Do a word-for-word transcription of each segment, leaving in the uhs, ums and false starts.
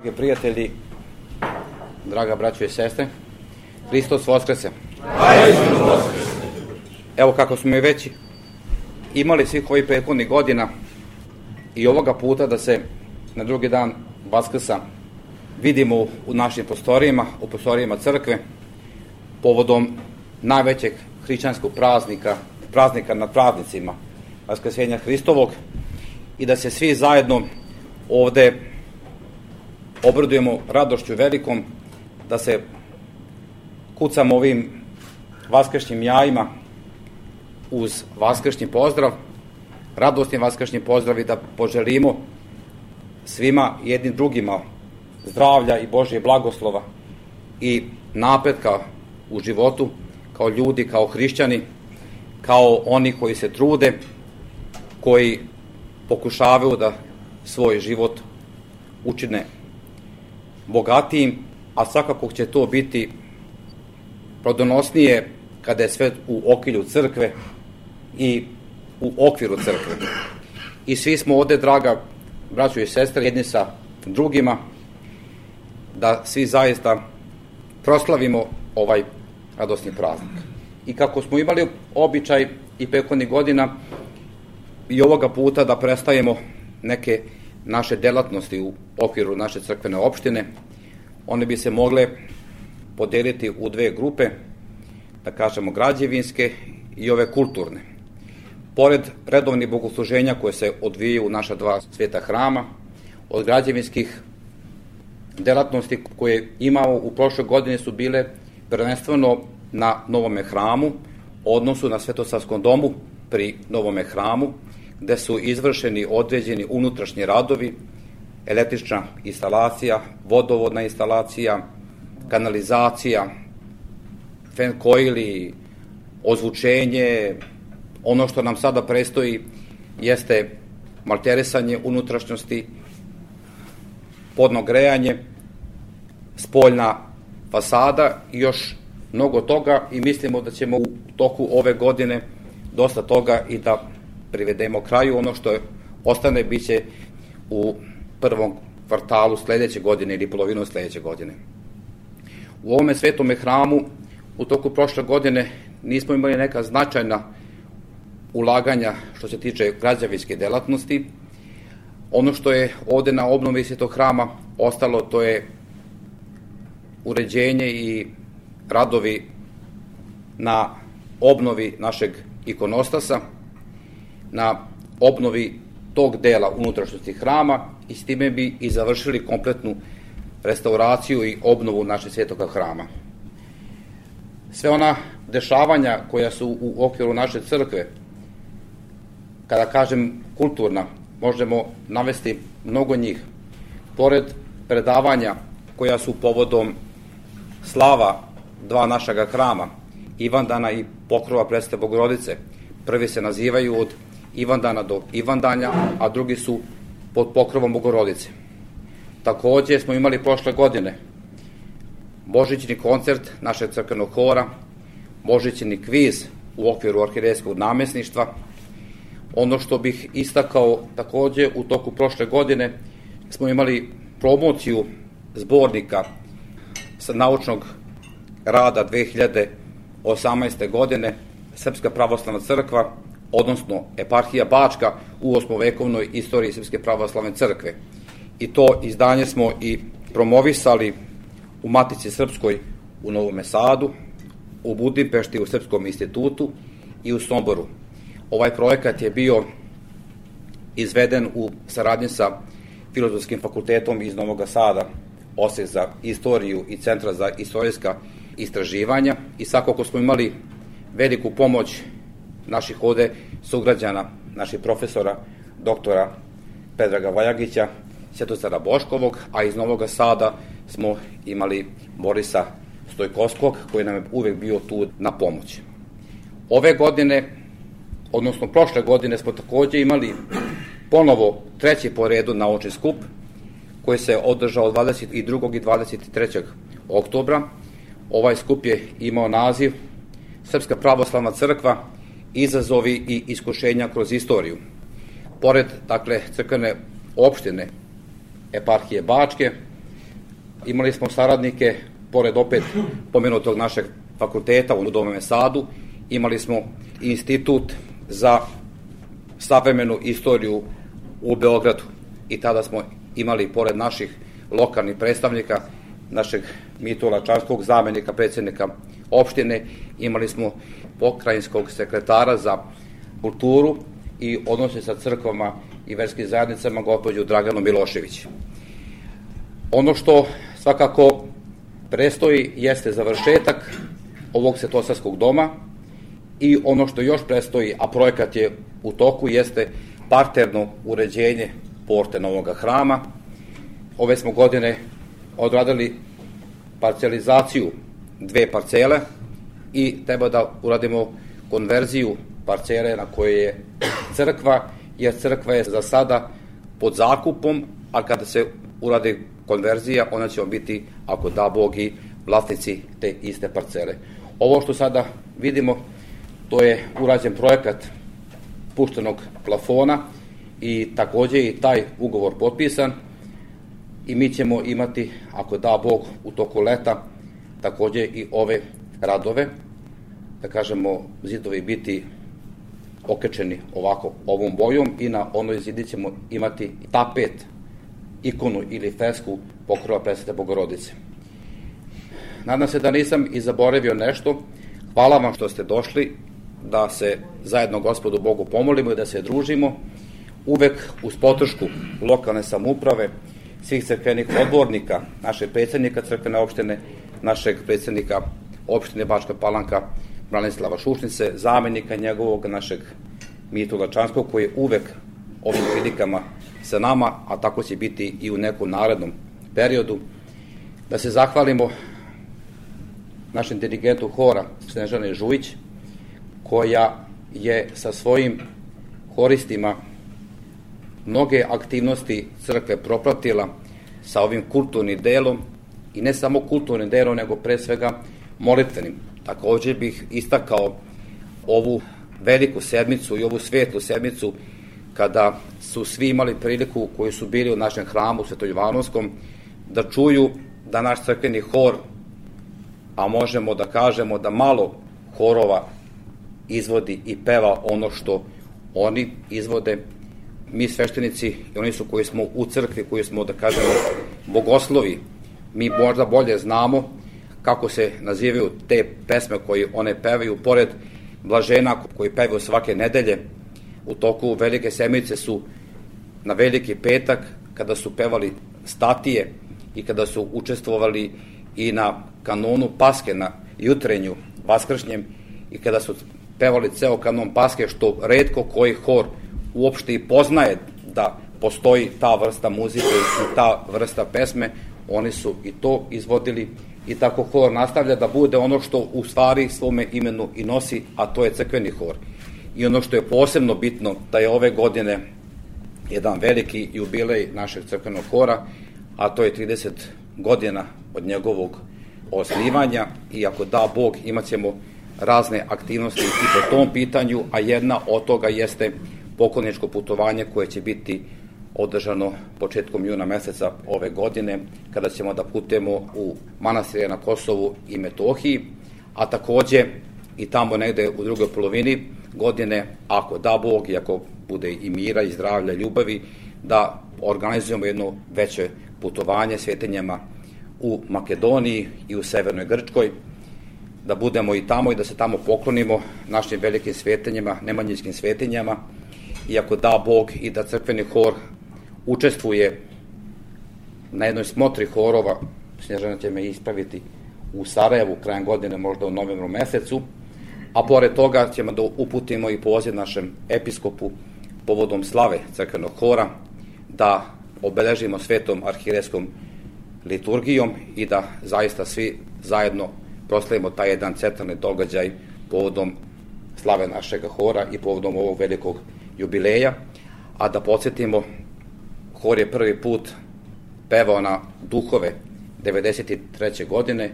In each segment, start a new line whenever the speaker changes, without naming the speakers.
Dragi prijatelji, draga braćo i sestre, Hristos Voskrese. Evo kako smo i već imali svih ovih prethodnih godina i ovoga puta da se na drugi dan Vaskrsa vidimo u našim prostorijama, u prostorijama crkve, povodom najvećeg hrišćanskog praznika, praznika nad praznicima, Vaskrsenja Hristovog, i da se svi zajedno ovde obradujemo radošću velikom, da se kucamo ovim vaskršnjim jajima uz vaskršnji pozdrav, radosni vaskršnji pozdrav, i da poželimo svima jednim drugima zdravlja i Božje blagoslova i napretka u životu, kao ljudi, kao hrišćani, kao oni koji se trude, koji pokušavaju da svoj život učine bogatijim, a svakako će to biti plodonosnije kada je sve u okrilju crkve i u okviru crkve. I svi smo ovde, draga braćo i sestre, jedni sa drugima, da svi zaista proslavimo ovaj radosni praznik. I kako smo imali običaj i prethodnih godina, i ovoga puta da predstavimo neke naše delatnosti u okviru naše crkvene opštine, one bi se mogle podeliti u dve grupe, da kažemo građevinske i ove kulturne. Pored redovnih bogosluženja koje se odvijaju u naša dva sveta hrama, od građevinskih delatnosti koje imamo u prošloj godini su bile prvenstveno na Novome hramu, odnosu na Svetosavskom domu pri Novome hramu, gde su izvršeni određeni unutrašnji radovi, električna instalacija, vodovodna instalacija, kanalizacija, fenkojili, ozvučenje. Ono što nam sada predstoji jeste malterisanje unutrašnjosti, podno grejanje, spoljna fasada i još mnogo toga, i mislimo da ćemo u toku ove godine dosta toga i da privedemo kraju. Ono što ostane bit će u prvom kvartalu sledeće godine ili polovinom sledeće godine. U ovome svetome hramu u toku prošle godine nismo imali neka značajna ulaganja što se tiče građevinske delatnosti. Ono što je ovde na obnovi svetog hrama ostalo, to je uređenje i radovi na obnovi našeg ikonostasa, na obnovi tog dela unutrašnjosti hrama, i s time bi i završili kompletnu restauraciju i obnovu našeg svetoga hrama. Sve ona dešavanja koja su u okviru naše crkve, kada kažem kulturna, možemo navesti mnogo njih. Pored predavanja koja su povodom slava dva našega hrama, Ivandana i Pokrova Presvete Bogorodice, prvi se nazivaju od Ivandana do Ivandanja, a drugi su pod pokrovom Bogorodice. Takođe smo imali prošle godine božićni koncert našeg crkvenog hora, božićni kviz u okviru arhijerejskog namesništva. Ono što bih istakao takođe, u toku prošle godine smo imali promociju zbornika sa naučnog rada dve hiljade osamnaeste. godine Srpska pravoslavna crkva, odnosno eparhija Bačka u osmovekovnoj istoriji Srpske pravoslavne crkve. I to izdanje smo i promovisali u Matici Srpskoj u Novom Sadu, u Budimpešti u Srpskom institutu i u Somboru. Ovaj projekat je bio izveden u saradnji sa Filozofskim fakultetom iz Novog Sada, Odsek za istoriju i Centra za istorijska istraživanja, i svakako smo imali veliku pomoć naših ovde sugrađana, naših profesora, doktora Predraga Vajagića, Svetozara Boškovog, a iz Novog Sada smo imali Borisa Stojkovskog, koji nam je uvek bio tu na pomoć. Ove godine, odnosno prošle godine, smo takođe imali ponovo treći po redu naučni skup, koji se održao dvadeset drugog i dvadeset trećeg oktobra. Ovaj skup je imao naziv Srpska pravoslavna crkva, izazovi i iskušenja kroz istoriju. Pored, dakle, crkvene opštine eparhije Bačke, Imali smo saradnike, pored opet pomenutog našeg fakulteta u Novom Sadu, imali smo institut za savremenu istoriju u Beogradu i tada smo imali, pored naših lokalnih predstavnika, našeg Mitula Čanskog, zamenika predsjednika opštine, imali smo pokrajinskog sekretara za kulturu i odnose sa crkvama i verskim zajednicama, gospođu Draganu Milošević. Ono što svakako predstoji jeste završetak ovog Svetosavskog doma i ono što još predstoji, a projekat je u toku, jeste parterno uređenje porte novog hrama. Ove smo godine odradili parcelizaciju dve parcele i treba da uradimo konverziju parcele na kojoj je crkva, jer crkva je za sada pod zakupom, a kada se uradi konverzija, ona će biti, ako da Bog, i vlasnici te iste parcele. Ovo što sada vidimo, to je urađen projekat puštenog plafona i takođe i taj ugovor potpisan i mi ćemo imati, ako da Bog, u toku leta takođe i ove radove, da kažemo, zidovi biti okečeni ovako ovom bojom i na onoj zidi ćemo imati tapet, ikonu ili fresku pokrova Presvete Bogorodice. Nadam se da nisam i zaboravio nešto. Hvala vam što ste došli, da se zajedno Gospodu Bogu pomolimo i da se družimo, uvek uz podršku lokalne samouprave, svih crkvenih odbornika, našeg predsjednika crkvene opštine, našeg predsjednika opštine Bačka Palanka, Branislava Šušnice, zamenika njegovog, našeg Mitula Čanskog, koji je uvek ovim prilikama sa nama, a tako će biti i u nekom narednom periodu. Da se zahvalimo našem dirigentu hora Snežane Žujić, koja je sa svojim horistima mnoge aktivnosti crkve propratila sa ovim kulturnim delom, i ne samo kulturnim delom, nego pre svega molitvenim. Takođe bih istakao ovu veliku sedmicu i ovu svetlu sedmicu, kada su svi imali priliku, koji su bili u našem hramu Svetojovanovskom, da čuju da naš crkveni hor, a možemo da kažemo da malo horova izvodi i peva ono što oni izvode. Mi sveštenici, i oni su koji smo u crkvi, koji smo, da kažemo, bogoslovi, mi možda bolje znamo kako se nazivaju te pesme koje one pevaju, pored blažena koji pevaju svake nedelje. U toku Velike sedmice su na Veliki petak, kada su pevali statije i kada su učestvovali i na kanonu Paske, na jutrenju vaskršnjem, i kada su pevali ceo kanon Paske, što retko koji hor uopšte i poznaje da postoji ta vrsta muzike i ta vrsta pesme, oni su i to izvodili, i tako hor nastavlja da bude ono što u stvari svome imenu i nosi, a to je crkveni hor. I ono što je posebno bitno, da je ove godine jedan veliki jubilej našeg crkvenog hora, a to je trideset godina od njegovog osnivanja, i ako da Bog, imat ćemo razne aktivnosti i po tom pitanju, a jedna od toga jeste pokloničko putovanje koje će biti održano početkom juna meseca ove godine, kada ćemo da putujemo u manastire na Kosovu i Metohiji, a takođe i tamo negde u drugoj polovini godine, ako da Bog i ako bude i mira i zdravlja i ljubavi, da organizujemo jedno veće putovanje svetinjama u Makedoniji i u Severnoj Grčkoj, da budemo i tamo i da se tamo poklonimo našim velikim svetinjama, nemanjinskim svetinjama, i ako da Bog i da crkveni hor učestvuje na jednoj smotri horova, Snježana će me ispraviti, u Sarajevu krajem godine, možda u novembru mesecu, a pored toga ćemo da uputimo i poziv našem episkopu povodom slave crkvenog hora, da obeležimo svetom arhijerejskom liturgijom i da zaista svi zajedno proslavimo taj jedan centralni događaj povodom slave našeg hora i povodom ovog velikog jubileja. A da podsjetimo, hor je prvi put pevao na duhove devedeset treće godine,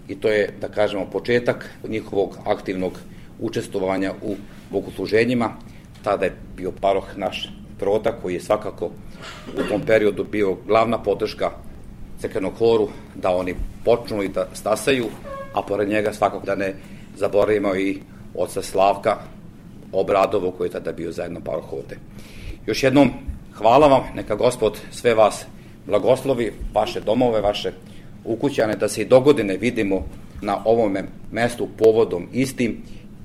i to je, da kažemo, početak njihovog aktivnog učestvovanja u bogosluženjima. Tada je bio paroh naš Prota, koji je svakako u tom periodu bio glavna podrška crkvenog horu da oni počnu i da stasaju, a pored njega svakako da ne zaboravimo i oca Slavka Obradovu koji je tada bio zajedno paroh ovde. Još jednom hvala vam, neka Gospod sve vas blagoslovi, vaše domove, vaše ukućane, da se i dogodine vidimo na ovom mestu povodom istim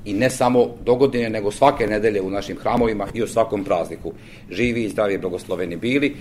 i ne samo dogodine, nego svake nedelje u našim hramovima i u svakom prazniku. Živi i zdravi i blagosloveni bili.